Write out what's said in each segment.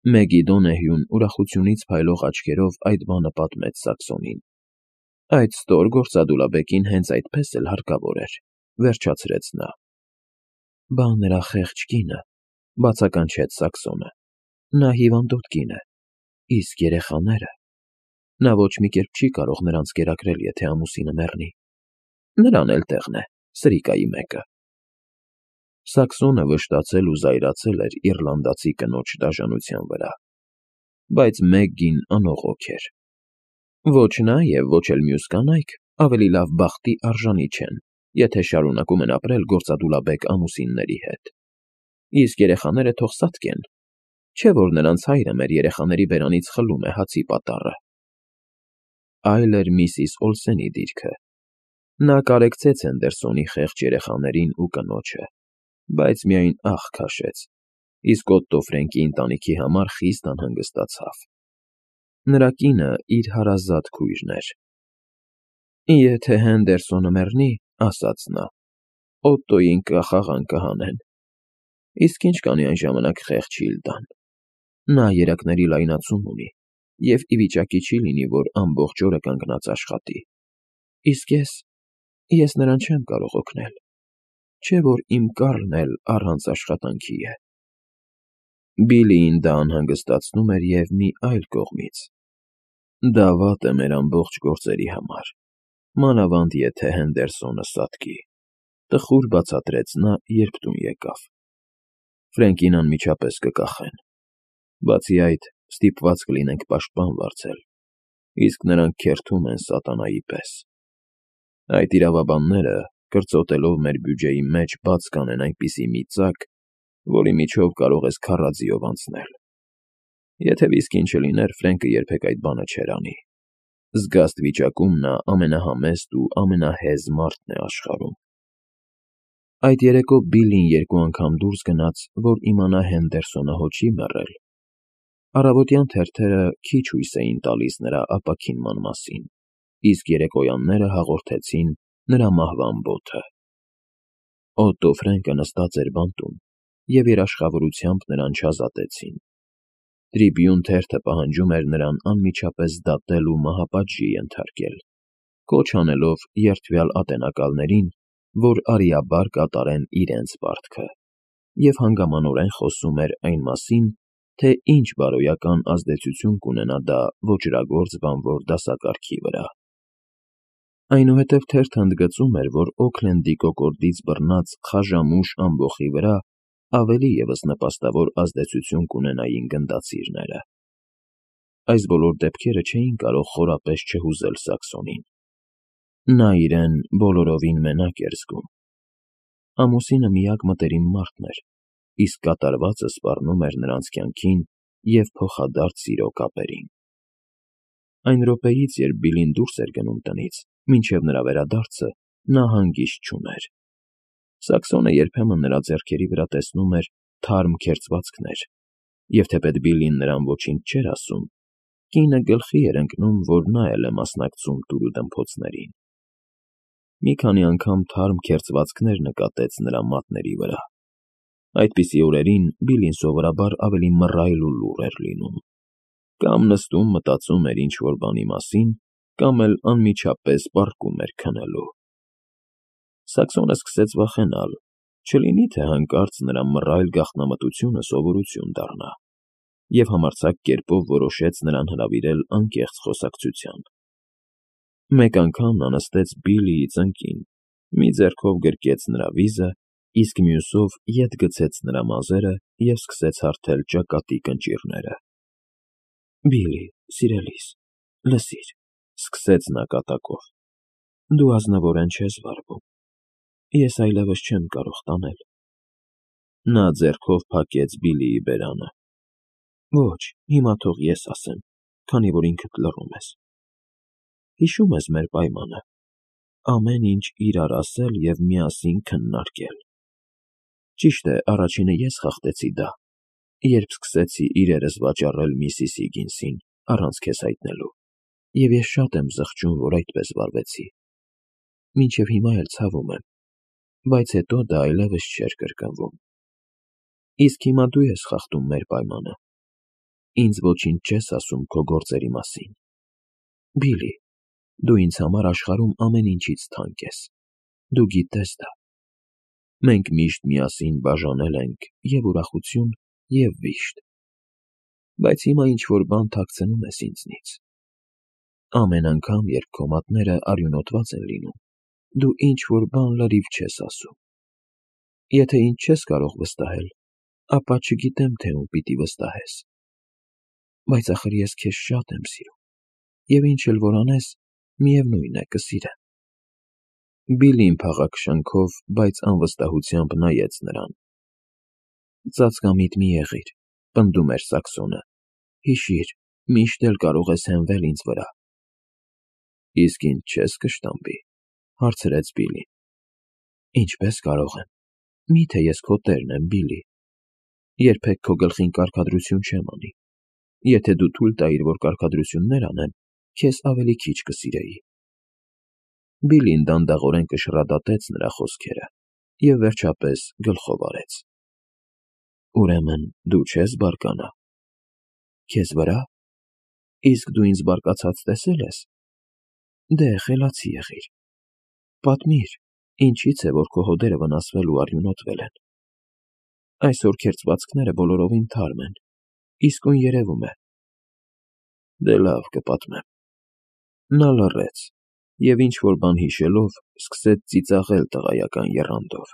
Մեգի Դոնեհյուն ուրախությունից փայլող աչքերով այդ բանը պատմեց Սաքսոնին։ Այդ ստոր գործադուլաբեկին հենց այդպես էլ հարկավոր էր, վերջացրեց նա։ Բա նրա խեղճ կինը, բացականչեց Սաքսոնը, նա հիվանդոտ կին է, իսկ երեխաները… Նա ոչ մի կերպ չի կարող նրանց կերակրել, եթե ամուսինը մեռնի։ Նրան էլ տեղն է, սրիկայի մեկը։ Սաքսոնը վշտացել ու զայրացել էր իռլանդացի կնոջ դաժանության վրա, բայց Մեգգին անողոք էր։ Ոչ նա և ոչ էլ մյուս կանայք ավելի լավ բախտի արժանի չեն, եթե շարունակում են ապրել գործադուլաբեկ ամուսինների հետ։ Իսկ երեխաները թող սատկեն, չէ՞ որ նրանց հայրը մեր երեխաների բերանից խլում է հացի պատառը։ Այլ էր միսիս Օլսենի դիրքը։ Նա կարեկցեց Հենդերսոնի խեղճ երեխաներին ու կնոջը, բայց միայն աղ քաշեց, իսկ Օտտո Ֆրենկի ընտանիքի համար խիստ անհանգստացավ։ Նրա կինը իր հարազատ քույրն էր։ Եթե Հենդերսոնը մեռնի, ասաց նա, Օտտոյին կախաղան կհանեն։ Իսկ ինչ կանի այն ժամանակ խեղճ Հիլդան։ Նա երակների լայնացում ունի և ի վիճակի չի լինի, որ ամբողջ օրը կանգնած աշխատի։ Իսկ ես նրան չեմ կարող օգնել, չէ՞ որ իմ Կառլն էլ առանց աշխատանքի է։ Բիլիին դա անհանգստացնում էր և մի այլ կողմից. դա վատ է մեր ամբողջ գործերի համար, մանավանդ եթե Հենդերսոնը սատկի, տխուր բացատրեց նա, երբ տուն եկավ։ Ֆրենկին անմիջապես կկախեն։ Բացի այդ, ստիպված կլինենք պաշտպան վարձել, իսկ նրանք քերթում են սատանայի պես։ Այդ իրավաբանները, կրծոտելով մեր բյուջեի մեջ, բաց կանեն այնպիսի մի ծակ, որի միջով կարող ես քառաձիով անցնել։ Եթե վիսկին չլիներ, Ֆրենկը երբեք այդ բանը չէր անի։ Զգաստ վիճակում նա ամենահամեստ ու ամենահեզ մարդն է աշխարհում։ Այդ երեկո Բիլին երկու անգամ դուրս գնաց, որ իմանա Հենդերսոնը հո չի մեռել։ Առավոտյան թերթերը քիչ հույս էին տալիս նրա ապաքինման մասին, իսկ երեկոյանները հաղորդեցին նրա մահվան բոթը։ Օտտո Ֆրենկը նստած էր բանտում, և երաշխավորությամբ նրան չազատեցին։ Տրիբյուն թերթը պահանջում էր նրան անմիջապես դատել ու մահապատժի ենթարկել, կոչ անելով երդվյալ ատենակալներին, որ արիաբար կատարեն իրենց պարտքը, և հանգամանորեն խոսում էր այն մասին, թե ինչ բարոյական ազդեցություն կունենա դա ոճրագործ բանվոր դասակարգի վրա։ Այնուհետև թերթը ընդգծում էր, որ Օքլենդի կոկորդից բռնած խաժամուշ ամբոխի վրա ավելի ևս նպաստավոր ազդեցություն կունենային գնդացիրները։ Այս բոլոր դեպքերը չէին կարող խորապես չհուզել Սաքսոնին։ Նա իրեն բոլորովին մենակ էր զգում։ Ամուսինը միակ մտերիմ մարդն էր, իսկ կատարվածը սպառնում էր նրանց կյանքին և փոխադարձ սիրո կապերին։ Այն րոպեից, երբ Բիլին դուրս էր գնում տնից, մինչև նրա վերադարձը, նա հանգիստ չուներ։ Սաքսոնը երբեմն նրա ձեռքերի վրա տեսնում էր թարմ քերծվածքներ, և թեպետ Բիլին նրան ոչինչ չէր ասում, կինը գլխի էր ընկնում, որ նա էլ է մասնակցում տուրուդմփոցներին։ Մի քանի անգամ թարմ քերծվածքներ նկատեց նրա մատների վրա։ Այդպիսի օրերին Բիլին սովորաբար ավելի մռայլ ու լուռ էր լինում, կամ նստում մտածում էր ինչ-որ բանի մասին, կամ էլ անմիջապես պառկում էր քնելու։ Սաքսոնը սկսեց վախենալ, չլինի թե հանկարծ նրա մռայլ գաղտնամտությունը սովորություն դառնա, և համարձակ կերպով որոշեց նրան հրավիրել անկեղծ խոսակցության։ Մեկ անգամ նա նստեց Բիլիի ծնկին, մի ձեռքով գրկեց նրա վիզը, իսկ մյուսով ետ գցեց նրա մազերը և սկսեց հարթել ճակատի կնճիռները։ Բիլի, սիրելիս, լսիր, սկսեց նա կատակով, դու ազնվորեն չես վարվում, ես այլևս չեմ կարող տանել։ Նա ձեռքով փակեց Բիլիի բերանը։ Ոչ, հիմա թող ես ասեմ, քանի որ ինքդ լռում ես։ Հիշո՞ւմ ես մեր պայմանը, ամեն ինչ իրար ասել և միասին քննարկել։ Ճիշտ է, առաջինը ես խախտեցի դա, երբ սկսեցի իրերս վաճառել միսիս Հիգինսին, առանց քեզ հայտնելու, և ես շատ եմ զղջում, որ այդպես վարվեցի։ Մինչև հիմա էլ ցավում եմ, բայց հետո դա այլևս չէր կրկնվում։ Իսկ հիմա դու ես խախտում մեր պայմանը։ Ինձ ոչինչ չես ասում քո գործերի մասին։ Բիլլի, դու ինձ համար աշխարհում ամեն ինչից թանկ ես։ Դու գիտես դա։ Մենք միշտ միասին բաժանել ենք և ուրախություն, և վիշտ։ Բայց հիմա ինչ-որ բան թաքցնում ես ինձնից։ Ամեն անգամ, երբ քո մատները արյունոտված են լինում, դու ինչ-որ բան լրիվ չես ասում։ Եթե ինձ չես կարող վստահել, ապա չգիտեմ, թե ում պիտի վստահես։ Բայց ախր ես քեզ շատ եմ սիրում, և ինչ էլ որ անես, միևնույն է, կսիրեմ։ Բիլլին փաղաքշ շնչով, բայց անվստահությամբ նայեց նրան։ Ծածկամիտ մի եղիր, պնդում էր Սաքսոնը։ Հիշիր, միշտ էլ կարող ես հենվել ինձ վրա։ Իսկ ինձ չես կշտամբի, հարցրեց Բիլլին։ Ինչպես կարող եմ։ Միթե ես քո տերն եմ, Բիլլի։ Երբեք քո գլխին կարգադրություն չեմ անի։ Եթե դու թույլ տայիր, որ կարգադրություններ անեմ, քեզ ավելի քիչ կսիրեի։ Բիլլին դանդաղորեն կշռադատեց նրա խոսքերը և վերջապես գլխով արեց։ Ուրեմն դու չես բարկանա։ Քեզ վրա։ Իսկ դու ինձ բարկացած տեսել ես։ Դե, խելացի եղիր։ Պատմիր, ինչից է, որ քո հոդերը վնասվել ու արյունոտվել են։ Այսօր քերծվածքները բոլորովին թարմ են, իսկույն երևում է։ Դե լավ, կպատմեմ։ Նա լռեց և ինչ-որ բան հիշելով, սկսեց ծիծաղել տղայական եռանդով։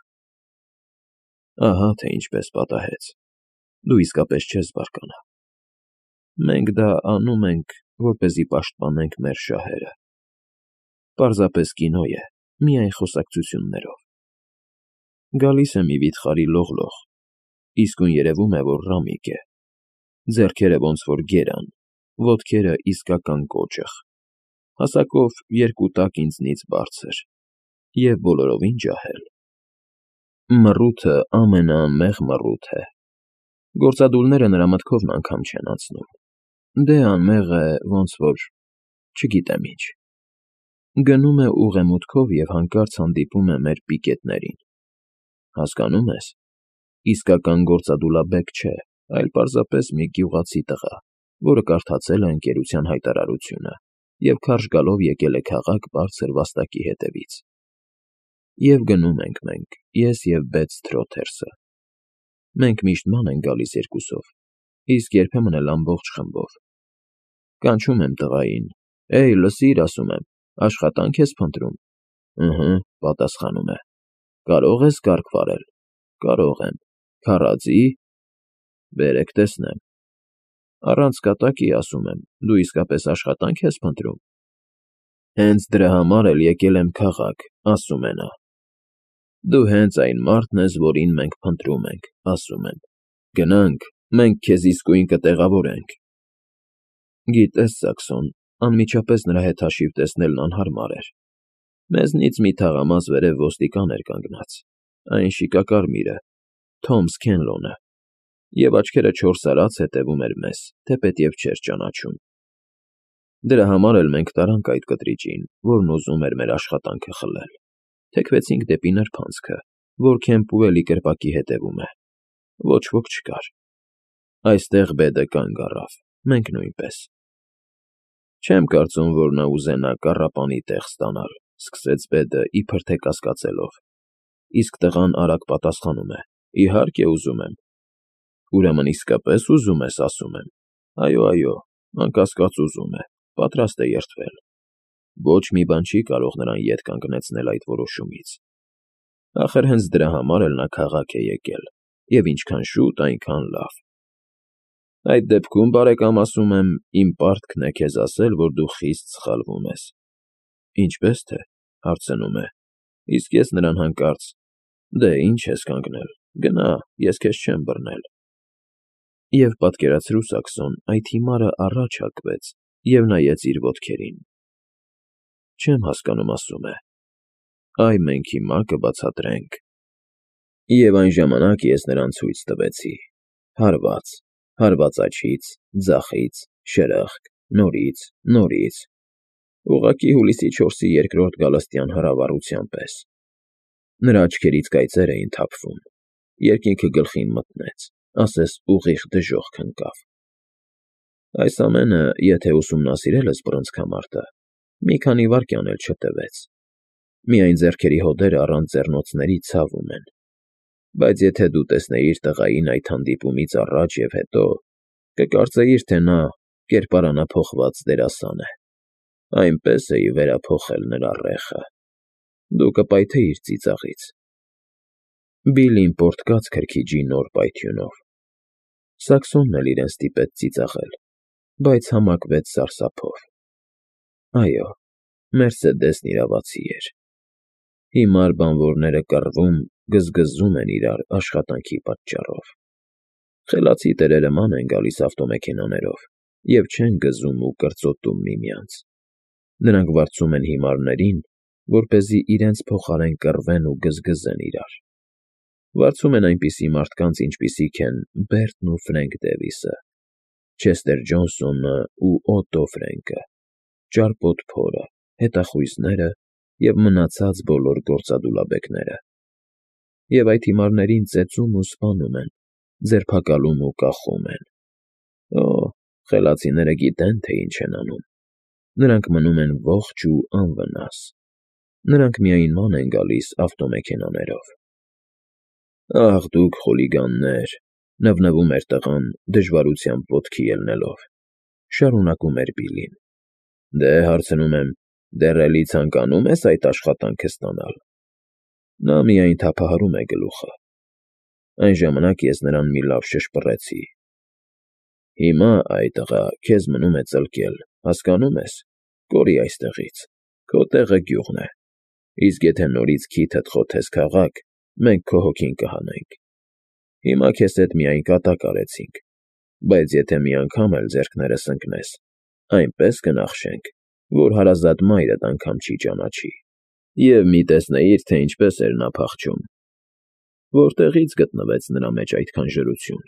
Ահա թե ինչպես պատահեց։ Դու իսկապես չես բարկանա։ Մենք դա անում ենք, որպեսզի պաշտպանենք մեր շահերը։ Պարզապես կինո է, միայն խոսակցություններով։ Գալիս է մի վիթխարի լողլող, իսկույն երևում է, որ ռամիկ է։ Ձեռքերը ոնց որ գերան, ոտքերը իսկական կոճղ, հասակով 2 տակ ինձնից բարձր և բոլորովին ջահել։ Մռութը ամենաանմեղ մռութ է։ Գործադուլները նրա մտքովն անգամ չեն անցնում։ Դե անմեղ է, ոնց որ… չգիտեմ ինչ։ Գնում է ուղեմուտքով և հանկարծ հանդիպում է մեր պիկետներին։ Հասկանում ես, իսկական գործադուլաբեկ չէ, այլ պարզապես մի գյուղացի տղա, որը կարդացել է ընկերության հայտարարությունը և քարշ գալով եկել է քաղաք բարձր վաստակի հետևից։ Եվ գնում ենք մենք, ես և Բեթ-Սթրոթերսը։ Մենք միշտ ման ենք գալիս երկուսով, իսկ երբեմն էլ ամբողջ խմբով։ Կանչում եմ տղային. «Էյ, լսիր, ասում եմ, աշխատանք ես փնտրում»։ Ըհը, պատասխանում է. «Կարո՞ղ ես կառք վարել»։ Կարող եմ։ Քառա՞ձի։ Բերեք տեսնեմ։ Առանց կատակի, ասում եմ, դու իսկապես աշխատանք ես փնտրում։ Հենց դրա համար էլ եկել եմ քաղաք, ասում է նա։ Դու հենց այն մարդն ես, որին մենք փնտրում ենք, ասում եմ։ Գնանք, մենք քեզ իսկույն կտեղավորենք։ Գիտես, Սաքսոն, անմիջապես նրա հետ հաշիվ տեսնելն անհարմար էր։ Մեզնից մի թաղամաս վերև ոստիկան էր կանգնած, այն շիկակարմիրը, Թոմ Սքենլոնը, և աչքերը չորսարած հետևում էր մեզ, թեպետև չէր ճանաչում։ Դրա համար էլ մենք տարանք այդ կտրիճին, որն ուզում էր մեր աշխատանքը խլել։ Թեքվեցինք դեպի նրբանցքը, որ Քեմփուելի կրպակի հետևում է։ Ոչ ոք չկար։ Այստեղ Բեդը կանգ առավ, մենք նույնպես։ Չեմ կարծում, որ նա ուզենա կառապանի տեղ ստանալ, սկսեց Բեդը իբր թե կասկածելով։ Իսկ տղան արագ պատասխանում է. Իհարկե ուզում եմ։ Ուրեմն իսկապես ուզում ես, ասում եմ։ Այո, անկասկած ուզում է, պատրաստ է երդվել։ Ոչ մի բան չի կարող նրան ետ կանգնեցնել այդ որոշումից։ Ախր հենց դրա համար էլ նա քաղաք է եկել, և ինչքան շուտ, այնքան լավ։ Այդ դեպքում, բարեկամ, ասում եմ, իմ պարտքն է քեզ ասել, որ դու խիստ սխալվում ես։ Ինչպես թե, հարցնում է, իսկ ես նրան հանկարծ. Դե, ինչ ես կանգնել, գնա, ես քեզ չեմ բռնել։ Եվ պատկերացրու, Սաքսոն, այդ հիմարը առաջ հակվեց և նայեց իր ոտքերին։ Չեմ հասկանում, ասում է։ Այ մենք հիմա կբացատրենք։ Եվ այն ժամանակ ես նրան ցույց տվեցի. հարված աջից, ձախից, շրխկ, նորից, ուղղակի Հուլիսի 4-ի 2-րդ գալստյան հրավառության պես։ Նրա աչքերից կայծեր էին թափվում, երկինքը գլխին մտնեց, ասես ուղիղ դժոխք ընկավ։ Այս ամենը, եթե ուսումնասիրել ես բռնցքամարտը, մի քանի վայրկյան էլ չտևեց. միայն ձեռքերի հոտերը առանց ձեռնոցների ցավում են, բայց եթե դու տեսնեիր տղային այդ հանդիպումից առաջ և հետո, կկարծեիր, թե նա կերպարանափոխված դերասան է, այնպես էի վերափոխել նրա ռեխը, դու կպայթեիր ծիծաղից։ Բիլլին պոռթկաց քրքիջի նոր պայթյունով։ Սաքսոնն էլ իրեն ստիպեց ծիծաղել, բայց համակվեց սարսափով։ Այո, Մերսեդեսն իրավացի էր։ Հիմար բանվորները կռվում, գզգզում են իրար աշխատանքի պատճառով։ Խելացի տերերը ման են գալիս ավտոմեքենաներով և չեն գզում ու կրծոտում միմյանց։ Նրանք վարձում են հիմարներին, որպեսզի իրենց փոխարեն կռվեն ու գզգզեն իրար։ Վարձում են այնպիսի մարդկանց, ինչպիսիք են Բերտն ու Ֆրենք Դևիսը, Չեսթեր Ջոնսոնը ու Օտո Ֆրենկը, ճարպոտ փորը, հետախույզները և մնացած բոլոր գործադուլաբեկները։ Եվ այդ հիմարներին ծեծում ու սպանում են, ձերբակալում ու կախում են։ Օ, խելացիները գիտեն, թե ինչ են անում։ Նրանք մնում են ողջ ու անվնաս։ Նրանք միայն ման են գալիս ավտոմեքենաներով։ Ախ, դուք խուլիգաններ, նվնվում էր տղան, դժվարությամբ ոտքի ելնելով։ Շարունակում էր Բիլլին։ Դե, հարցնում եմ, դեռ էլի ցանկանում ես այդ աշխատանքը ստանալ։ Նա միայն թափահարում է գլուխը։ Այն ժամանակ ես նրան մի լավ շշպռեցի։ Հիմա, այ տղա, քեզ մնում է ծլկել, հասկանո՞ւմ ես, կորի այստեղից, քո տեղը գյուղն է, իսկ եթե նորից քիթդ խոթես քաղաք, մենք քո հոգին կհանենք։ Հիմա քեզ հետ միայն կատակ արեցինք, բայց եթե մի անգամ էլ ձեռքներս ընկնես, այնպես կնախշենք, որ հարազատ մայրդ անգամ չի ճանաչի։ Եվ մի տեսնեիր, թե ինչպես էր նա փախչում։ Որտեղից գտնվեց նրա մեջ այդքան ժորություն։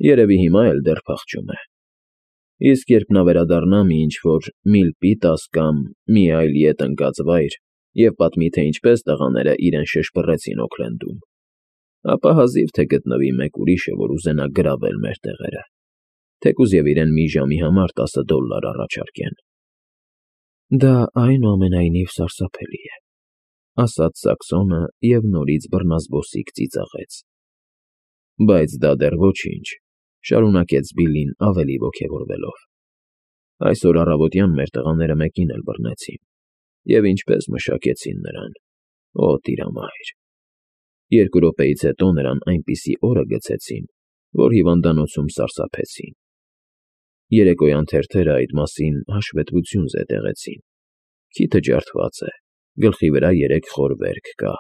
Երևի հիմա էլ դեռ փախչում է։ Իսկ երբ նա վերադառնա մի ինչ-որ Միլպիտաս կամ մի այլ ետ ընկած վայր և պատմի, թե ինչպես տղաները իրեն շշպռեցին Օքլենդում, ապա հազիվ թե գտնվի մեկ ուրիշը, որ ուզենա գրավել մեր տեղերը, թեկուզ և իրեն մի ժամի համար $10 առաջարկեն։ Դա այնուամենայնիվ սարսափելի է, ասաց Սաքսոնը և նորից բռնազբոսիկ ծիծաղեց։ Բայց դա դեռ ոչինչ, շարունակեց Բիլլին ավելի ոգևորվելով։ Այսօր առավոտյան մեր տղաները մեկին էլ բռնեցին, և ինչպես մշակեցին նրան, օ տիրամայր։ 2 րոպեից հետո նրան այնպիսի օրը գցեցին, որ հիվանդանոցում սարսափեցին։ Երեկոյան թերթերը այդ մասին հաշվետվություն զետեղեցին։ Քիթը ջարդված է, գլխի վրա 3 խոր վերք կա։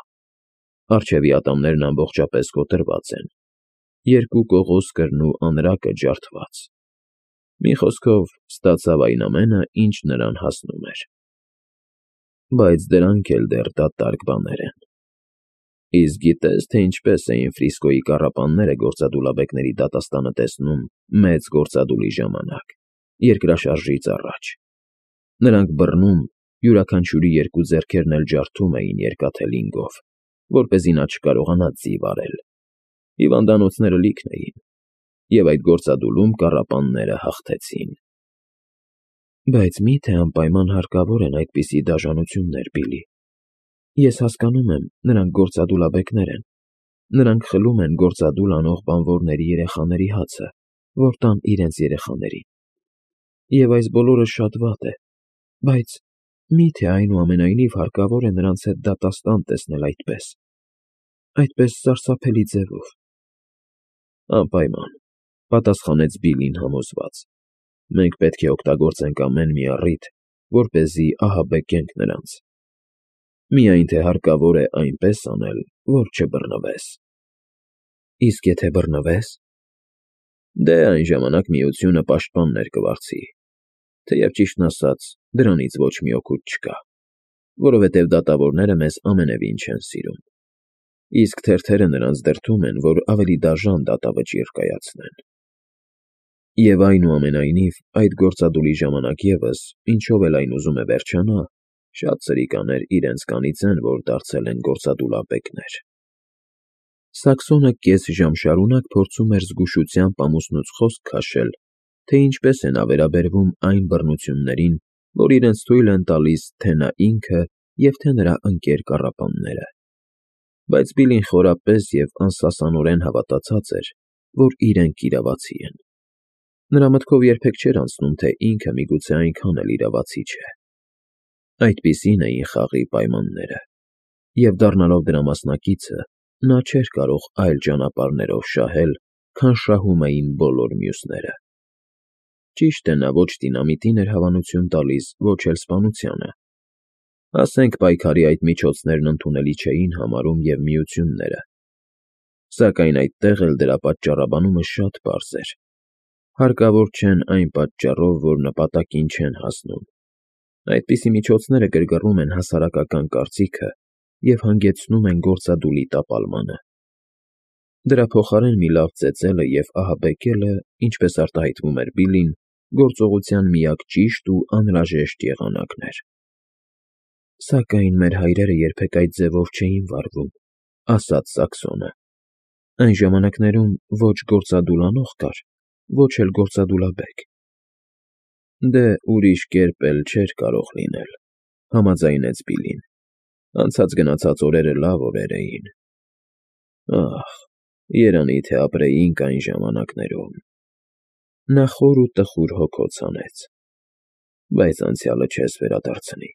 Առջևի ատամներն ամբողջապես կոտրված են, 2 կողոսկրն ու անրակը ջարդված։ Մի խոսքով, ստացավ այն ամենը, ինչ նրան հասնում էր։ Բայց դրանք էլ դեռ դատարկ բաներ են։ Իսկ գիտե՞ս, թե ինչպես էին Ֆրիսկոյի կառապանները գործադուլաբեկների դատաստանը տեսնում մեծ գործադուլի ժամանակ, երկրաշարժից առաջ։ Նրանք բռնում, յուրաքանչյուրի 2 ձեռքերն էլ ջարդում էին երկաթե լինգով, որպեսզի նա չկարողանա ձիվ արել։ Հիվանդանոցները լիքն էին, և այդ գործադուլում կառապանները հաղթեցին։ Բայց մի՞թե անպայման հարկավոր են այդպիսի դաժանություններ, Բիլլի։ Ես հասկանում եմ, նրանք գործադուլաբեկներ են։ Նրանք խլում են գործադուլ անող բանվորների երեխաների հացը, որ տան իրենց երեխաներին։ Եվ այս բոլորը շատ վատ է, բայց մի՞թե այնուամենայնիվ հարկավոր է նրանց հետ դատաստան տեսնել այդպես սարսափելի ձևով։ Անպայման, պատասխանեց Բիլլին համոզված։ Մենք պետք է օգտագործենք ամեն մի առիթ, որպեսզի ահաբեկենք նրանց։ Միայն թե հարկավոր է այնպես անել, որ չբռնվես։ Իսկ եթե բռնվես։ Դե այն ժամանակ միությունը պաշտպաններ կվարձի, թեև ճիշտն ասած, դրանից ոչ մի օգուտ չկա, որովհետև դատավորները մեզ ամենևին չեն սիրում։ Իսկ թերթերը նրանց դրդում են, որ ավելի դաժան դատավճիռ կայացնեն։ Եվ այնուամենայնիվ, այդ գործադուլի ժամանակ ևս, ինչով էլ այն ուզում է վերջանա, շատ սրիկաներ իրենց կանից են, որ դարձել են գործադուլաբեկներ։ Սաքսոնը կես ժամ շարունակ փորձում էր զգուշությամբ ամուսնուց խոսք քաշել, թե ինչպես է նա վերաբերվում այն բռնություններին, որ իրենց թույլ են տալիս թե նա ինքը և թե նրա ընկեր կառապանները։ Բայց Բիլին խորապես և անսասանորեն հավատացած էր, որ իրենք իրավացի են։ Նրա մտքով երբեք չէր անցնում, թե ինքը միգուցե այնքան էլ իրավացի չէ։ Այդպիսին էին խաղի պայմանները, և դառնալով դրա մասնակիցը, նա չէր կարող այլ ճանապարհներով շահել, քան շահում էին բոլոր մյուսները։ Ճիշտ է, նա ոչ դինամիտին էր հավանություն տալիս, ոչ էլ սպանությանը։ Ասենք պայքարի այդ միջոցներն ընդունելի չէին համարում և միությունները։ Սակայն այդտեղ էլ դրա պատճառաբանումը շատ պարզ էր։ Հարկավոր չեն այն պատճառով, որ նպատակին չեն հասնում։ Այդպիսի միջոցները գրգռում են հասարակական կարծիքը և հանգեցնում են գործադուլի տապալմանը։ Դրա փոխարեն մի լավ ծեծելը և ահաբեկելը, ինչպես արտահայտվում էր Բիլին, գործողության միակ ճիշտ ու անհրաժեշտ եղանակն էր։ Սակայն մեր հայրերը երբեք այդ ձևով չէին վարվում, ասաց Սաքսոնը։ Այն ժամանակներում ոչ գործադուլ անող կար, ոչ էլ գործադուլաբեկ։ Դե, ուրիշ կերպ էլ չէր կարող լինել, համաձայնեց Բիլին։ Անցած գնացած օրերը լավ օրեր էին։ Ահ, երանի թե ապրեինք այն ժամանակներում։ Նա խոր ու տխուր հոգոց հանեց։ Բայց անցյալը չես վերադարձնի։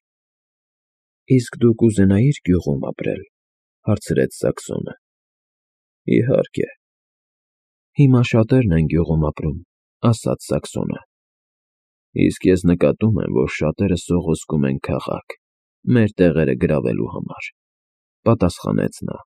Իսկ դու կուզենայի՞ր գյուղում ապրել, հարցրեց Սաքսոնը։ Իհարկե։ Հիմա շատերն են գյուղում ապրում, ասաց Սաքսոնը։ Իսկ ես նկատում եմ, որ շատերը սողոսկում են քաղաք, մեր տեղերը գրավելու համար, պատասխանեց նա։